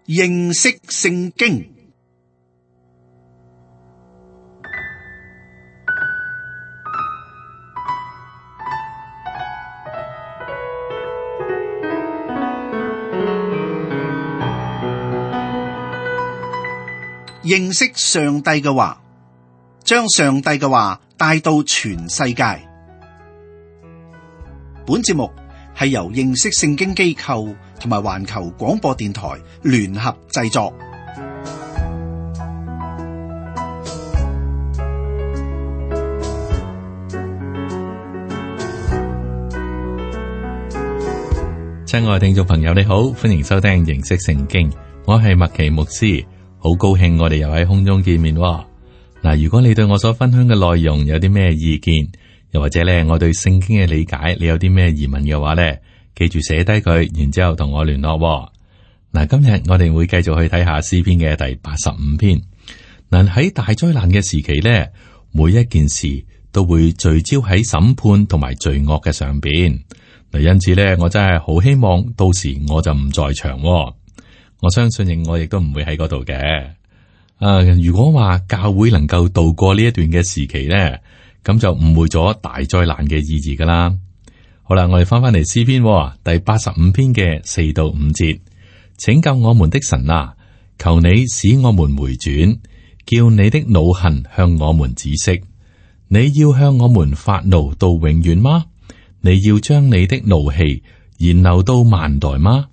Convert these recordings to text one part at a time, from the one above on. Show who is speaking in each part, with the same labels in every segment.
Speaker 1: 認識聖經。認識上帝嘅話，將上帝嘅話帶到全世界。本節目係由認識聖經機構同埋環球廣播電台聯合製作。
Speaker 2: 親愛聽眾朋友，你好，歡迎收聽認識聖經，我係麥奇牧師。好高興我哋又喺空中見面喎。嗱，如果你對我所分享嘅內容有啲咩意見，又或者咧我對聖經嘅理解，你有啲咩疑問嘅話咧，記住寫低佢，然之後同我聯絡喎。嗱，今日我哋會繼續去睇下詩篇嘅第85篇。嗱，喺大災難嘅時期咧，每一件事都會聚焦喺審判同埋罪惡嘅上邊。嗱，因此咧，我真係好希望到時我就唔在場喎。我相信我亦都唔會喺嗰度嘅。如果話教會能夠度過呢一段嘅時期咧，咁就誤會咗大災難嘅意義噶啦。好啦，我哋翻返嚟詩篇第85篇嘅4到5節，拯救我們的神啊，求你使我們回轉，叫你的惱恨向我們止息。你要向我們發怒到永遠嗎？你要將你的怒氣延留到萬代嗎？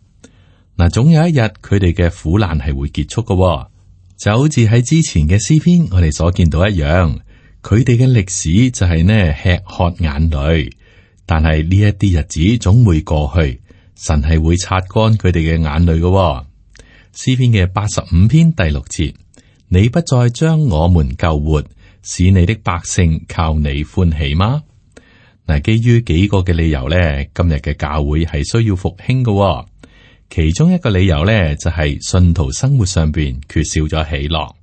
Speaker 2: 嗱，總有一日佢哋嘅苦難係會結束嘅，就好似喺之前嘅詩篇我哋所見到一樣，佢哋嘅歷史就係呢吃喝眼淚，但係呢一啲日子總會過去，神係會擦乾佢哋嘅眼淚嘅。詩篇嘅85篇第6節，你不再將我們救活，使你的百姓靠你歡喜嗎？嗱，基於幾個嘅理由咧，今日嘅教會係需要復興嘅。其中一個理由咧，就係信徒生活上邊缺少咗喜樂。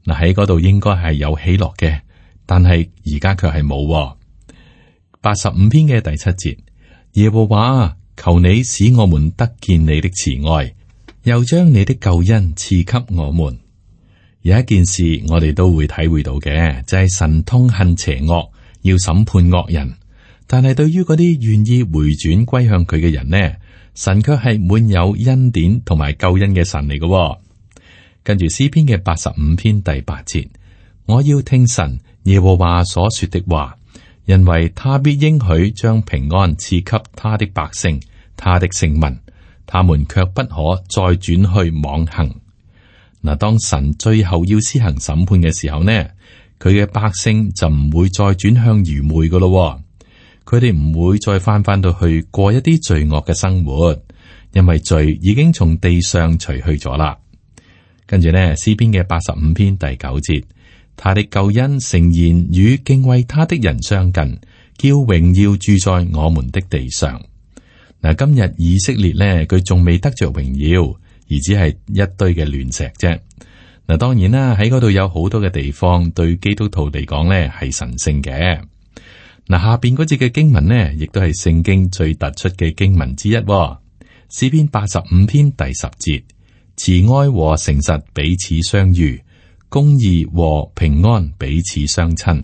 Speaker 2: 嗱，喺嗰度應該係有喜樂嘅，但係而家卻係冇。85篇嘅第7節，耶和華，求你使我們得見你的慈愛，又將你的救恩賜給我們。有一件事我哋都會體會到嘅，就係神痛恨邪惡，要審判惡人。但係對於嗰啲願意回轉歸向佢嘅人呢，神卻係滿有恩典同埋救恩嘅神嚟嘅。跟住詩篇嘅85篇第8節，我要聽神耶和華所說的話，因為他必應許將平安賜給他的百姓，他的聖民，他們卻不可再轉去妄行。嗱，當神最後要施行審判嘅時候呢，佢嘅百姓就唔會再轉向愚昧噶咯。佢哋唔會再翻到去過一啲罪惡嘅生活，因為罪已經從地上除去咗啦。跟住呢，詩篇嘅85篇第9節，他的救恩誠然與敬畏他的人相近，叫榮耀住在我們的地上。嗱，今日以色列呢，佢仲未得着榮耀，而只係一堆嘅亂石啫。嗱，當然啦，喺嗰度有好多嘅地方對基督徒嚟講呢係神聖嘅。嗱，下邊嗰節嘅經文呢，亦都係聖經最突出嘅經文之一。詩篇85篇第10節，慈愛和誠實彼此相遇，公義和平安彼此相親。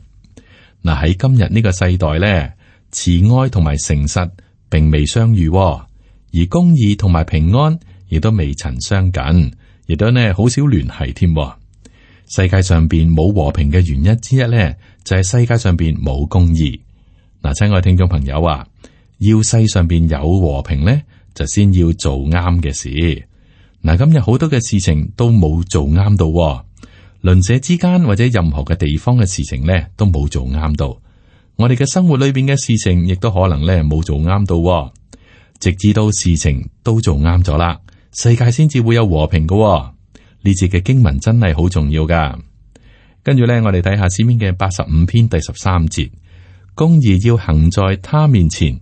Speaker 2: 嗱，喺今日呢個世代呢，慈愛同埋誠實並未相遇，而公義同埋平安亦都未曾相近，亦都呢好少聯繫添。世界上邊冇和平嘅原因之一呢，就係世界上邊冇公義。嗱，親愛聽眾朋友啊，要世上邊有和平咧，就先要做啱嘅事。嗱，今日好多嘅事情都冇做啱到，鄰舍之間或者任何嘅地方嘅事情咧，都冇做啱到。我哋嘅生活裏邊嘅事情，亦都可能咧冇做啱到，直至到事情都做啱咗啦，世界先至會有和平嘅。呢節嘅經文真係好重要噶。跟住咧，我哋睇下詩篇嘅85篇第13節。公義要行在他面前，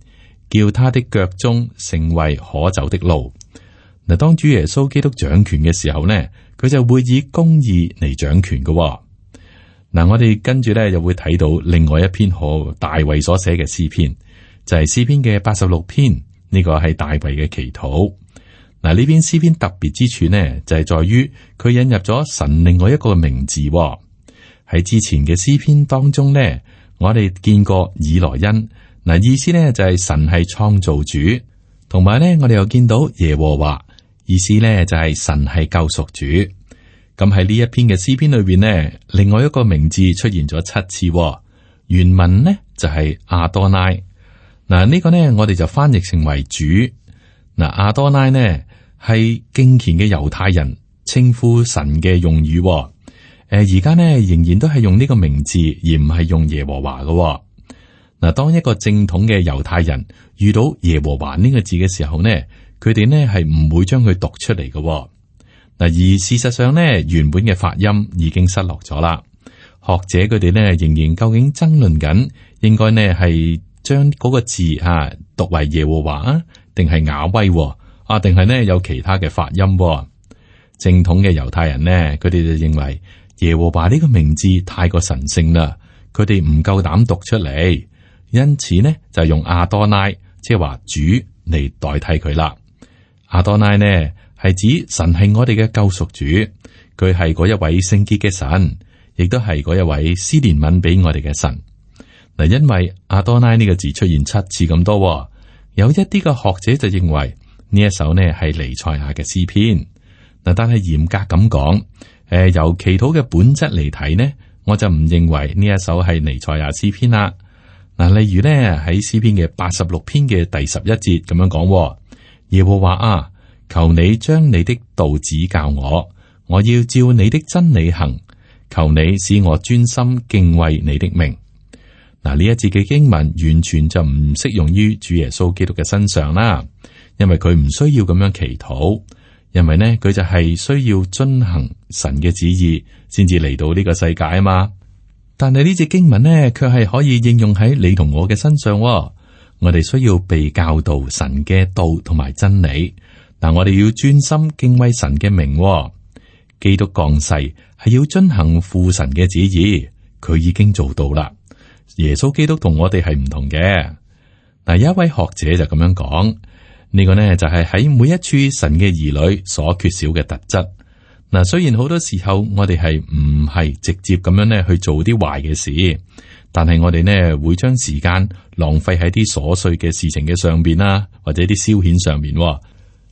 Speaker 2: 叫他的腳蹤成為可走的路。嗱，當主耶穌基督掌權嘅時候呢，佢就會以公義嚟掌權嘅。嗱，我哋跟住咧又會睇到另外一篇可大衛所寫嘅詩篇，就係詩篇嘅86篇，呢個係大衛嘅祈禱。嗱，呢篇詩篇特別之處呢，就係在於佢引入咗神另外一個名字。喺之前嘅詩篇當中呢，我哋見過以來恩，嗱，意思呢就係神係創造主，同埋呢我哋又見到耶和華，意思呢就係神係救贖主。咁喺呢一篇嘅詩篇裏邊呢，另外一個名字出現咗7次，原文呢就係亞多拉。嗱，呢個呢我哋就翻譯成為主。嗱，亞多拉呢係敬虔嘅猶太人稱呼神嘅用語。而家呢仍然都係用呢個名字，而唔係用耶和華嘅。嗱，當一個正統嘅猶太人遇到耶和華呢個字嘅時候呢，佢哋呢係唔會將佢讀出嚟嘅。嗱，而事實上呢，原本嘅發音已經失落咗啦。學者佢哋呢仍然究竟爭論緊，應該呢係將嗰個字讀為耶和華啊，定係雅威啊，定係呢有其他嘅發音。正統嘅猶太人呢，佢哋就認為耶和華呢個名字太過神聖啦，佢哋唔夠膽讀出嚟，因此呢就用亞多拉，即係話主嚟代替佢啦。亞多拉呢係指神係我哋嘅救贖主，佢係嗰一位聖潔嘅神，亦都係嗰一位施憐憫俾我哋嘅神。嗱，因為亞多拉呢個字出現7次咁多，有一啲嘅學者就認為呢一首呢係彌賽亞嘅詩篇。嗱，但係嚴格咁講，由祈禱嘅本質嚟睇呢，我就唔認為呢一首係彌賽亞詩篇啦。嗱，例如呢喺詩篇嘅86篇嘅第11節咁樣講：耶和華啊，求你將你的道指教我，我要照你的真理行。求你使我專心敬畏你的名。嗱，呢一節嘅經文完全就唔適用於主耶穌基督嘅身上啦，因為佢唔需要咁樣祈禱。因為呢，佢就係需要遵行神嘅旨意，先至嚟到呢個世界啊嘛。但係呢隻經文呢，卻係可以應用喺你同我嘅身上。我哋需要被教導神嘅道同埋真理。但我哋要專心敬畏神嘅名。基督降世係要遵行父神嘅旨意，佢已經做到啦。耶穌基督同我哋係唔同嘅。嗱，有一位學者就咁樣講。呢個呢就係喺每一處神嘅兒女所缺少嘅特質。嗱，雖然好多時候我哋係唔係直接咁樣呢去做啲壞嘅事，但係我哋呢會將時間浪費喺啲瑣碎嘅事情嘅上邊啦，或者啲消遣上面，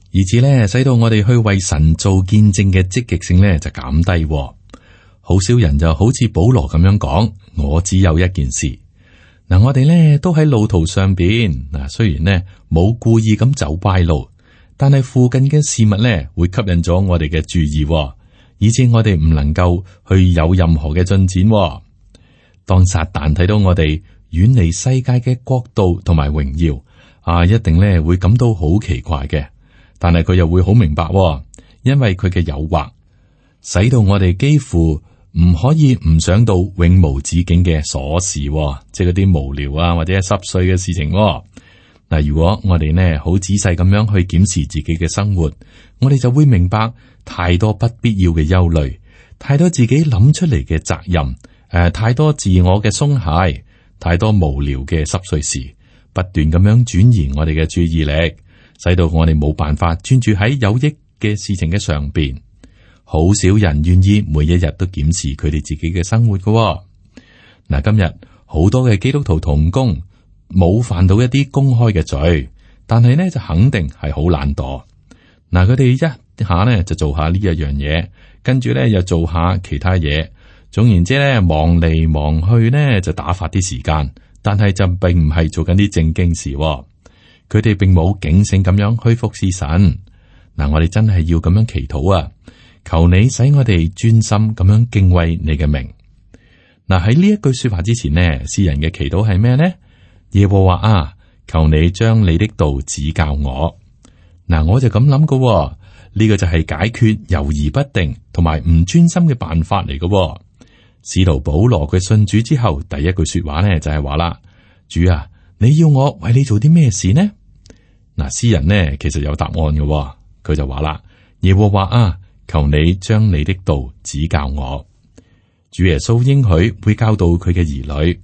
Speaker 2: 以至呢使到我哋去為神做見證嘅積極性呢就減低。好少人就好似保羅咁樣講：我只有一件事。嗱，我哋咧都喺路途上邊，嗱，雖然呢冇故意咁走歪路，但係附近嘅事物咧會吸引咗我哋嘅注意，以致我哋唔能夠去有任何嘅進展。當撒旦睇到我哋遠離世界嘅國度同埋榮耀，一定咧會感到好奇怪嘅，但係佢又會好明白，因為佢嘅誘惑，使到我哋幾乎唔可以唔想到永無止境嘅瑣事，即係嗰啲無聊或者係濕碎嘅事情。嗱，如果我哋呢好仔細咁樣去檢視自己嘅生活，我哋就會明白太多不必要嘅憂慮，太多自己諗出嚟嘅責任，太多自我嘅鬆懈，太多無聊嘅濕碎事，不斷咁樣轉移我哋嘅注意力，使到我哋冇辦法專注喺有益嘅事情嘅上邊。好少人願意每一日都檢視佢哋自己嘅生活㗎。嗱，今日好多嘅基督徒同工冇犯到一啲公開嘅罪，但係呢就肯定係好懶惰。嗱，佢哋一下呢就做下呢一樣嘢，跟住呢又做下其他嘢。總言之呢，忙嚟忙去呢就打發啲時間，但係就並唔係做緊啲正經事。佢哋並冇警醒咁樣去服侍神。嗱，我哋真係要咁樣祈禱啊！求你使我哋專心咁樣敬畏你嘅名。嗱，喺呢一句說話之前呢，詩人嘅祈禱係咩呢？耶和華啊，求你將你的道指教我。嗱，我就咁諗㗎，呢個就係解決猶豫不定同埋唔專心嘅辦法嚟㗎。使徒保羅佢信主之後，第一句說話呢就係話啦：主啊，你要我為你做啲咩事呢？嗱，詩人呢其實有答案嘅，佢就話啦：耶和華啊，求你將你的道指教我。主耶穌應許會教導佢嘅兒女。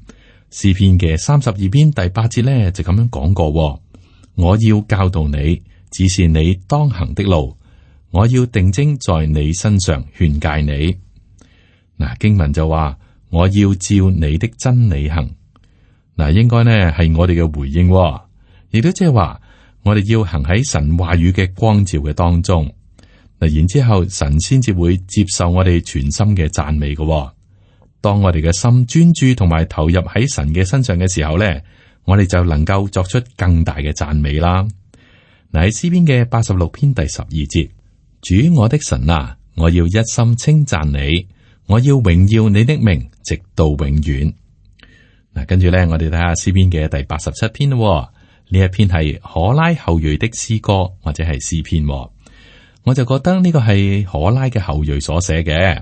Speaker 2: 詩篇嘅32篇第8節呢就咁樣講過：我要教導你，指示你當行的路。我要定睛在你身上勸誡你。嗱，經文就話我要照你的真理行。嗱，應該呢係我哋嘅回應，亦都即係話我哋要行喺神話語嘅光照嘅當中。嗱，然之後神先至會接受我哋全心嘅讚美嘅。當我哋嘅心專注同埋投入喺神嘅身上嘅時候呢，我哋就能夠作出更大嘅讚美啦。嗱，喺詩篇嘅86篇第12節。主我的神啊，我要一心稱讚你，我要榮耀你的名，直到永遠。嗱，跟住咧，我哋睇下詩篇嘅第87篇咯。呢一篇係可拉後裔的詩歌或者係詩篇，我就覺得呢個係可拉嘅後裔所寫嘅。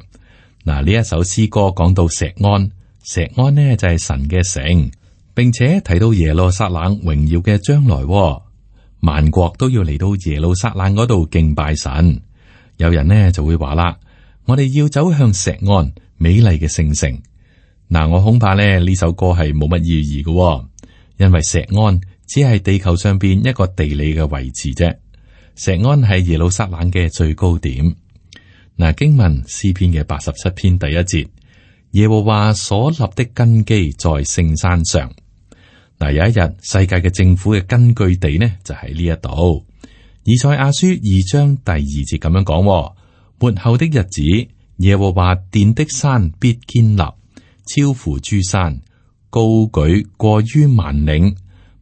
Speaker 2: 嗱，呢一首詩歌講到錫安，錫安呢就係神嘅城，並且提到耶路撒冷榮耀嘅將來，萬國都要嚟到耶路撒冷嗰度敬拜神。有人呢就會話啦，我哋要走向錫安美麗嘅聖城。嗱，我恐怕咧呢首歌係冇乜意義嘅，因為錫安只係地球上邊一個地理嘅位置啫。錫安係耶路撒冷嘅最高點。嗱，經文詩篇嘅87篇第1節，耶和華所立的根基在聖山上。嗱，有一日世界嘅政府嘅根據地呢就喺呢一度。以賽亞書2章第2節咁樣講：末後的日子，耶和華殿的山必堅立，超乎諸山，高舉過於萬嶺，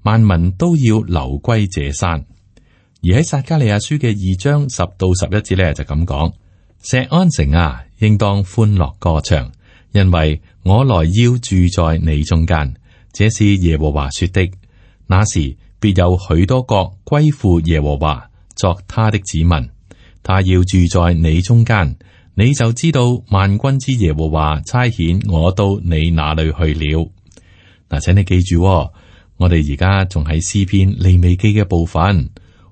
Speaker 2: 萬民都要流歸這山。而喺撒迦利亞書嘅2章10到11節咧就咁講：錫安城啊，應當歡樂歌唱，因為我來要住在你中間。這是耶和華說的。那時必有許多國歸附耶和華，作他的子民。他要住在你中間，你就知道萬軍之耶和華差遣我到你那裏去了。嗱，請你記住，我哋而家仲喺詩篇利未記嘅部分，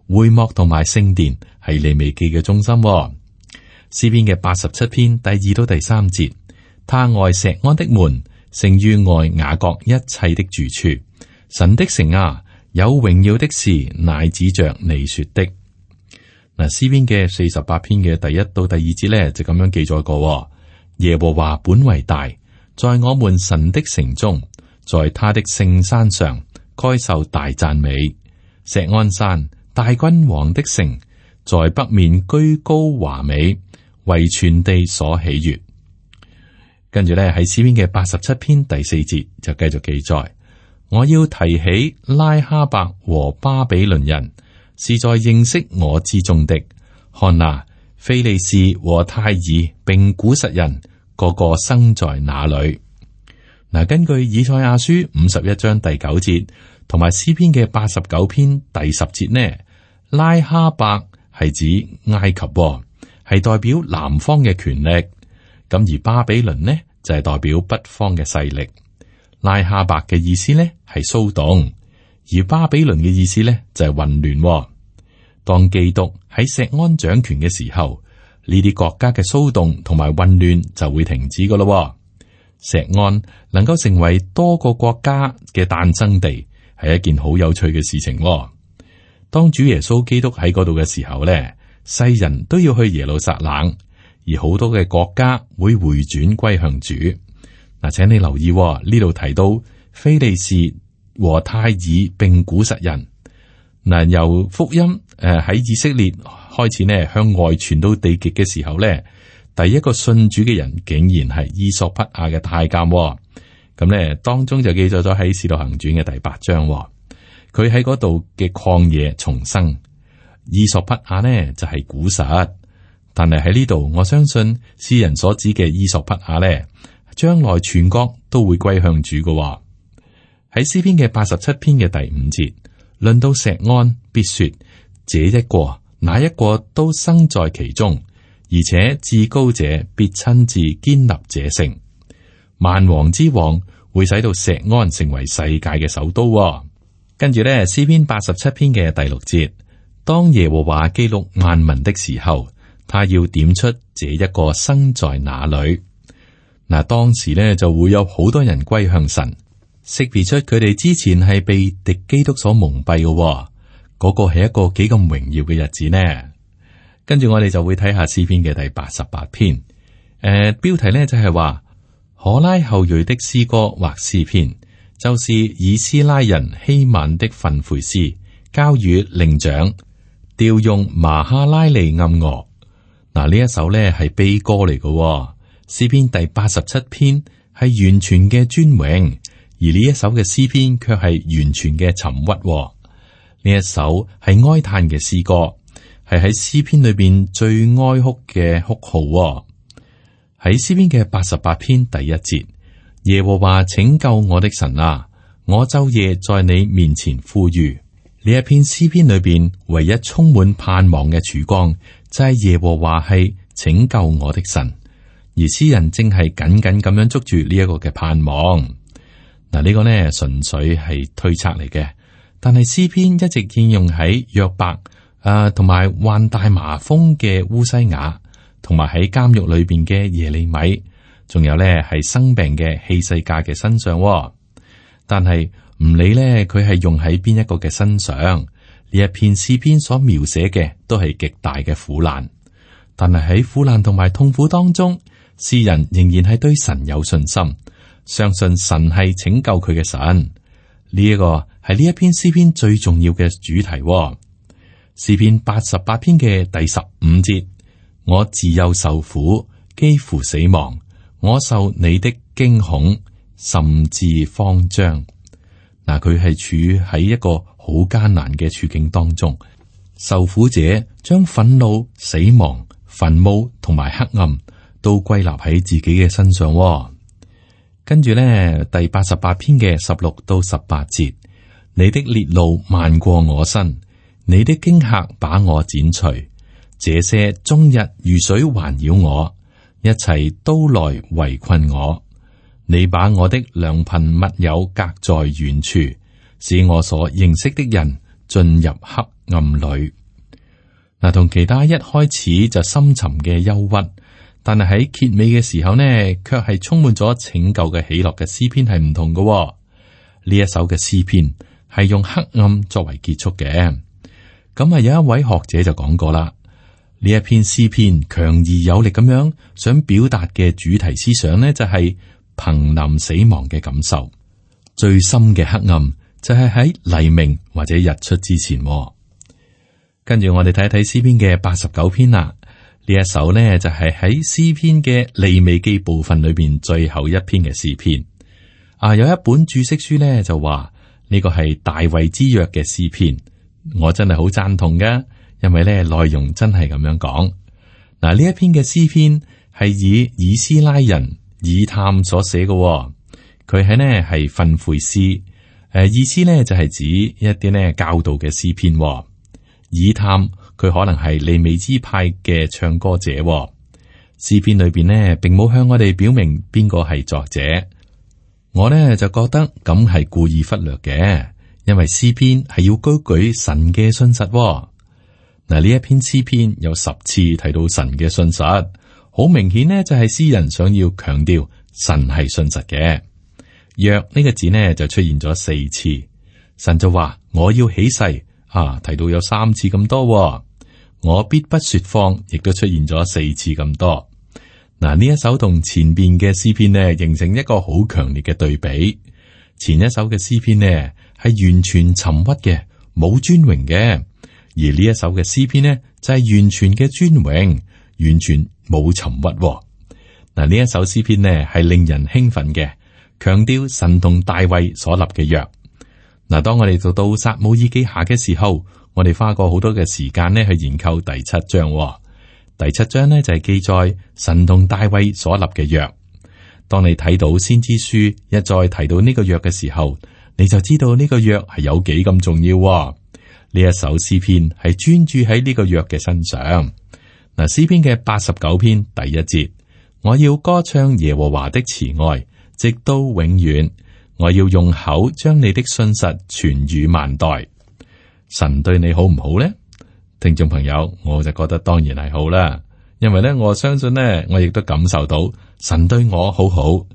Speaker 2: 會幕同埋聖殿係利未記嘅中心。詩篇嘅87篇第2到第3節，他愛錫安的門，勝於愛雅各一切的住處。神的城啊，有榮耀的事乃指着你說的。嗱，詩篇嘅48篇嘅第1到第2節咧就咁樣記載過：耶和華本為大，在我們神的城中，在他的聖山上，該受大讚美。錫安山，大君王的城，在北面居高華美，為全地所喜悅。跟住咧喺詩篇嘅87篇第4節就繼續記載：我要提起拉哈伯和巴比倫人，是在認識我之中的。看哪，非利士和泰爾並古實人，個個生在那裏。嗱，根據以賽亞書51章第9節，同埋詩篇嘅89篇第10節呢，拉哈伯係指埃及，係代表南方嘅權力。咁而巴比倫呢就係代表北方嘅勢力。拉哈伯嘅意思呢係騷動，而巴比倫嘅意思呢就係混亂。當基督喺錫安掌權嘅時候，呢啲國家嘅騷動同埋混亂就會停止噶咯。錫安能夠成為多個國家嘅誕生地，係一件好有趣嘅事情。當主耶穌基督喺嗰度嘅時候咧，世人都要去耶路撒冷，而好多嘅國家會回轉歸向主。嗱，請你留意呢度提到非利士和泰爾並古實人。嗱，由福音喺以色列開始呢向外傳到地極嘅時候咧，第一個信主嘅人竟然係伊索匹亞嘅太監。咁咧當中就記載咗喺《使徒行傳》嘅第8章，佢喺嗰度嘅曠野重生。伊索匹亞呢就係古實，但係喺呢度我相信詩人所指嘅伊索匹亞呢，將來全國都會歸向主嘅。喺詩篇嘅87篇嘅第5節。論到錫安，必說這一個那一個都生在其中，而且至高者必親自堅立這城。萬王之王會使到錫安成為世界嘅首都。跟住咧，詩篇87篇嘅第6節，當耶和華記錄萬民的時候，他要點出這一個生在哪裏。嗱，當時咧就會有好多人歸向神。識別出佢哋之前係被敵基督所蒙蔽嘅，嗰個係一個幾咁榮耀嘅日子呢？跟住我哋就會睇下詩篇嘅第88篇。標題呢就係話可拉後裔的詩歌或詩篇，就是以斯拉人希曼的訓誨詩，交與伶長，調用麻哈拉利暗樂。嗱，呢一首呢係悲歌嚟嘅。詩篇第87篇係完全嘅尊榮，而呢一首嘅詩篇卻係完全嘅沉鬱。呢一首係哀嘆嘅詩歌，係喺詩篇裏邊最哀哭嘅哭號。喺詩篇嘅88篇第1節，耶和華拯救我的神啊，我晝夜在你面前呼籲。呢一篇詩篇裏邊唯一充滿盼望嘅曙光，就係耶和華係拯救我的神，而詩人正係緊緊咁樣捉住呢一個嘅盼望。嗱，呢個呢純粹係推測嚟嘅，但係詩篇一直應用喺約伯同埋患大麻風嘅烏西雅，同埋喺監獄裏邊嘅耶利米，仲有呢係生病嘅希西家嘅身上。但係唔理呢，佢係用喺邊一個嘅身上，呢一篇詩篇所描寫嘅都係極大嘅苦難。但係喺苦難同埋痛苦當中，詩人仍然係對神有信心，相信神係拯救佢嘅神。呢一個係呢一篇詩篇最重要嘅主題。詩篇88篇嘅第15節。我自幼受苦，幾乎死亡。我受你的驚恐，甚至慌張。嗱，佢係處喺一個好艱難嘅處境當中。受苦者將憤怒、死亡、墳墓同埋黑暗都歸納喺自己嘅身上。跟住咧，第88篇嘅16到18節，你的烈怒漫過我身，你的驚嚇把我剪除。這些終日如水環繞我，一齊都來圍困我。你把我的良朋密友隔在遠處，使我所認識的人進入黑暗裏。嗱，同其他一開始就深沉嘅憂鬱，但係喺結尾嘅時候呢，卻係充滿咗拯救嘅喜樂嘅詩篇係唔同嘅。呢一首嘅詩篇係用黑暗作為結束嘅。咁啊，有一位學者就講過啦。呢一篇詩篇強而有力咁樣想表達嘅主題思想呢，就係瀕臨死亡嘅感受。最深嘅黑暗就係喺黎明或者日出之前。跟住我哋睇一睇詩篇嘅89篇啦。呢一首呢，就係喺詩篇嘅利未記部分裏邊最後一篇嘅詩篇。有一本注釋書呢，就話呢個係大衛之約嘅詩篇，我真係好贊同噶。因為咧內容真係咁樣講。嗱，呢一篇嘅詩篇係以斯拉人以探所寫嘅，佢係呢係訓誨詩，意思呢就係指一啲呢教導嘅詩篇。以探佢可能係利未支派嘅唱歌者。詩篇裏邊呢並冇向我哋表明邊個係作者，我呢就覺得咁係故意忽略嘅，因為詩篇係要高舉神嘅信實。嗱，呢一篇詩篇有10次提到神嘅信實，好明顯呢就係詩人想要強調神係信實嘅。約呢個字呢就出現咗4次，神就話我要起誓，提到有3次咁多。我必不說謊，亦都出現咗4次咁多。嗱，呢一首同前邊嘅詩篇呢形成一個好強烈嘅對比。前一首嘅詩篇呢係完全沉鬱嘅，冇尊榮嘅。而呢一首嘅詩篇呢，就係完全嘅尊榮，完全冇沉鬱。嗱，呢一首詩篇呢，係令人興奮嘅，強調神同大衛所立嘅約。嗱，當我哋讀到撒母耳記下嘅時候，我哋花過好多嘅時間呢去研究第7章。第7章呢，就係記載神同大衛所立嘅約。當你睇到先知書一再提到呢個約嘅時候，你就知道呢個約係有幾咁重要。呢一首詩篇係專注喺呢個約嘅身上。嗱，詩篇嘅89篇第1節，我要歌唱耶和華的慈愛，直到永遠。我要用口將你的信實傳與萬代。神對你好唔好呢？聽眾朋友，我就覺得當然係好啦，因為咧我相信呢，我亦都感受到神對我好好，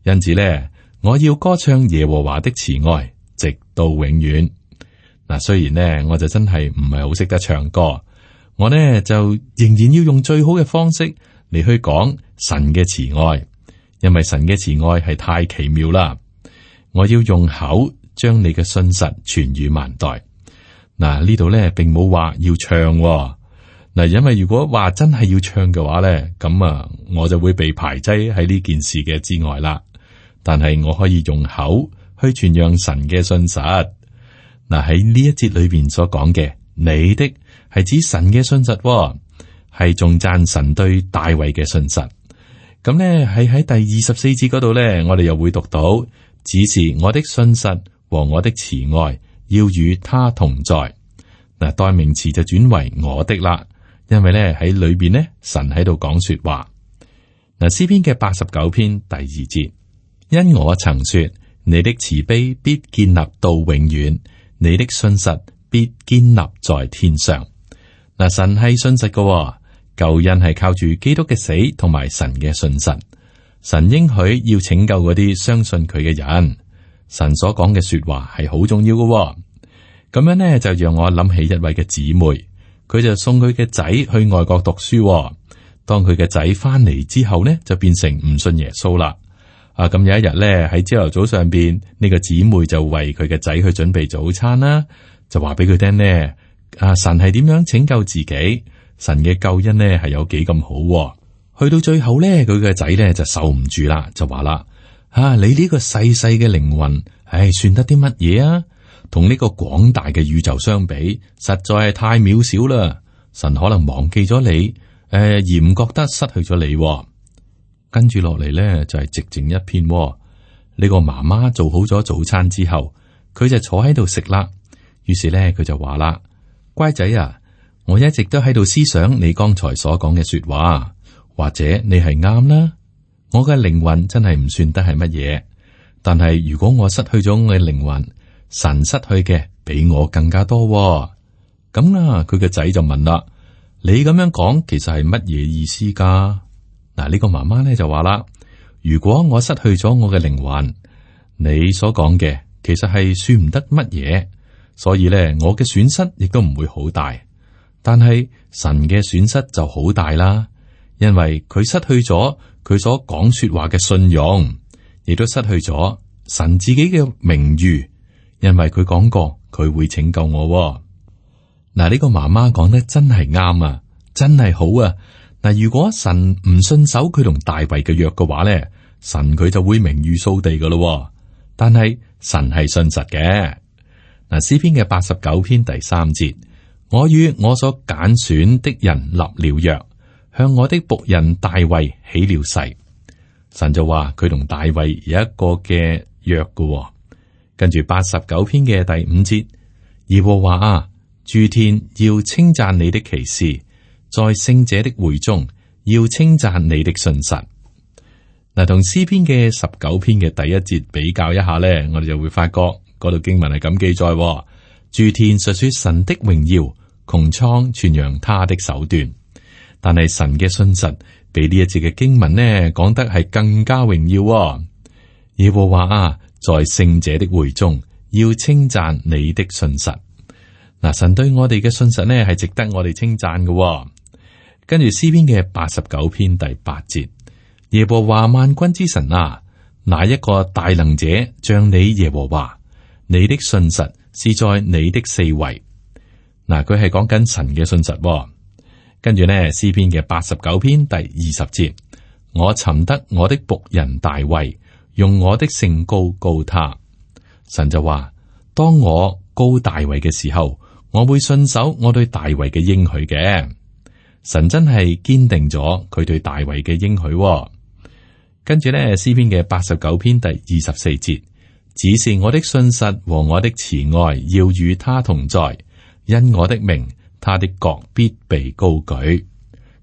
Speaker 2: 因此咧我要歌唱耶和華的慈愛，直到永遠。嗱，雖然呢，我就真係唔係好識得唱歌，我呢就仍然要用最好嘅方式嚟去講神嘅慈愛，因為神嘅慈愛係太奇妙啦。我要用口將你嘅信實傳與萬代。嗱，呢度呢並冇話要唱喎。嗱，因為如果話真係要唱嘅話呢，咁啊，我就會被排擠喺呢件事嘅之外啦。但係我可以用口去傳揚神嘅信實。嗱，喺呢一節裏邊所講嘅，你的係指神嘅信實喎，係仲讚神對大衛嘅信實。咁呢係喺第24節嗰度呢，我哋又會讀到，只是我的信實和我的慈愛要與他同在。嗱，代名詞就轉為我的啦，因為呢喺裏邊呢，神喺度講說話。嗱，詩篇嘅89篇第2節，因我曾說，你的慈悲必建立到永遠。你的信實必堅立在天上。嗱，神係信實嘅，救恩係靠住基督嘅死同埋神嘅信實。神應許要拯救嗰啲相信佢嘅人。神所講嘅說話係好重要嘅。咁樣呢，就讓我諗起一位嘅姊妹，佢就送佢嘅仔去外國讀書。當佢嘅仔翻嚟之後呢，就變成唔信耶穌啦。咁有一日咧，喺朝頭早上邊，呢個姊妹就為佢嘅仔去準備早餐啦，就話俾佢聽呢，神係點樣拯救自己，神嘅救恩呢係有幾咁好。去到最後咧，佢嘅仔咧就受唔住啦，就話啦，你呢個細細嘅靈魂，算得啲乜嘢啊？同呢個廣大嘅宇宙相比，實在係太渺小啦。神可能忘記咗你，而唔覺得失去咗你。跟住落嚟咧，就係寂靜一片。呢個媽媽做好咗早餐之後，佢就坐喺度食啦。於是咧，佢就話啦：乖仔啊，我一直都喺度思想你剛才所講嘅說話，或者你係啱啦。我嘅靈魂真係唔算得係乜嘢，但係如果我失去咗我嘅靈魂，神失去嘅比我更加多。咁啦，佢個仔就問啦：你咁樣講，其實係乜嘢意思噶？嗱，呢個媽媽咧就話啦，如果我失去咗我嘅靈魂，你所講嘅其實係算唔得乜嘢，所以咧我嘅損失亦都唔會好大。但係神嘅損失就好大啦，因為佢失去咗佢所講說話嘅信用，亦都失去咗神自己嘅名譽，因為佢講過佢會拯救我。嗱，呢個媽媽講得真係啱啊，真係好啊。嗱，如果神唔信守佢同大衛嘅約嘅話咧，神佢就會名譽掃地噶咯。但係神係信實嘅。嗱，詩篇嘅89篇第3節，我與我所揀選的人立了約，向我的僕人大衛起了誓。神就話佢同大衛有一個嘅約嘅。跟住89篇嘅第5節，耶和華啊，諸天要稱讚你的奇事。在聖者的會中，要稱讚你的信實。嗱，同詩篇嘅19篇嘅第1節比較一下咧，我哋就會發覺嗰度經文係咁記載：諸天述說神的榮耀，穹蒼傳揚他的手段。但係神嘅信實比呢一節嘅經文呢講得係更加榮耀。耶和華啊，在聖者的會中，要稱讚你的信實。嗱，神對我哋嘅信實呢係值得我哋稱讚嘅。跟住詩篇嘅89篇第8節，耶和華萬軍之神啊，哪一個大能者像你耶和華？你的信實是在你的四圍。嗱，佢係講緊神嘅信實。跟住呢，詩篇嘅89篇第20節，我尋得我的僕人大衛，用我的聖膏膏他。神就話：當我膏大衛嘅時候，我會信守我對大衛嘅應許嘅。神真係堅定咗佢對大衛嘅應許。跟住咧，詩篇嘅89篇第24節，只是我的信實和我的慈愛要與他同在，因我的名，他的國必被高舉。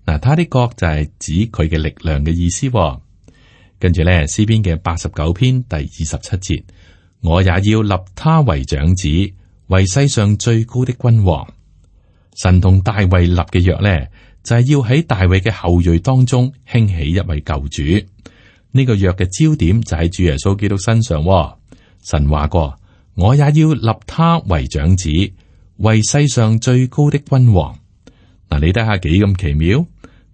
Speaker 2: 嗱，他的國就係指佢嘅力量嘅意思。跟住咧，詩篇嘅89篇第27節，我也要立他為長子，為世上最高的君王。神同大衛立嘅約咧，就係要喺大衛嘅後裔當中興起一位救主。呢個約嘅焦點就喺主耶穌基督身上。神話過：我也要立他為長子，為世上最高的君王。嗱，你睇下幾咁奇妙？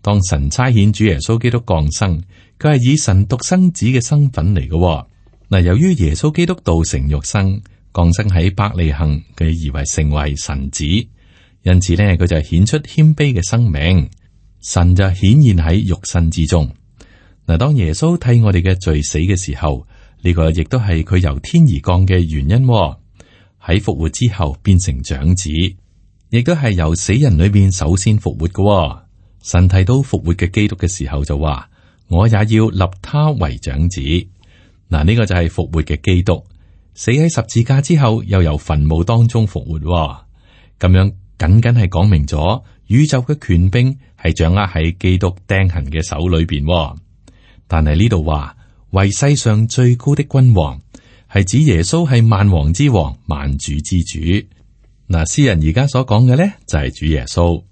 Speaker 2: 當神差遣主耶穌基督降生，佢係以神獨生子嘅身份嚟嘅。嗱，由於耶穌基督道成肉身，降生喺伯利恆，佢以為成為神子，因此呢，佢就顯出謙卑嘅生命，神就顯現喺肉身之中。嗱，當耶穌替我哋嘅罪死嘅時候，呢個亦都係佢由天而降嘅原因。喺復活之後變成長子，亦都係由死人裏邊首先復活嘅。神提到復活嘅基督嘅時候就話：我也要立他為長子。嗱，呢個就係復活嘅基督，死喺十字架之後，又由墳墓當中復活。咁樣僅僅係講明咗宇宙嘅權柄係掌握喺基督釘痕嘅手裏邊。但係呢度話為世上最高的君王，係指耶穌係萬王之王、萬主之主。嗱，詩人而家所講嘅咧就係主耶穌。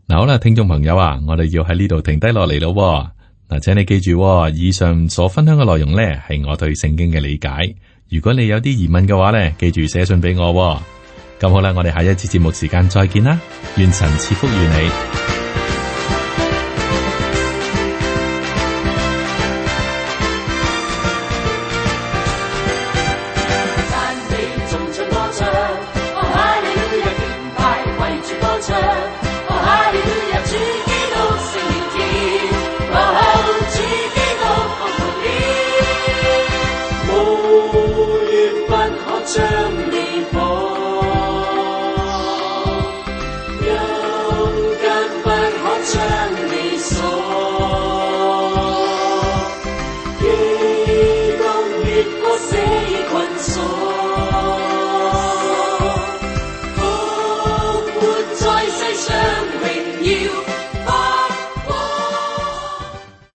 Speaker 2: 嗱，好啦，聽眾朋友啊，我哋要喺呢度停低落嚟咯。嗱，請你記住，以上所分享嘅內容咧係我對聖經嘅理解。如果你有啲疑問嘅話咧，記住寫信俾我。咁好啦，我哋下一次節目時間再見啦，願神賜福於你。
Speaker 3: 復活在世上榮耀。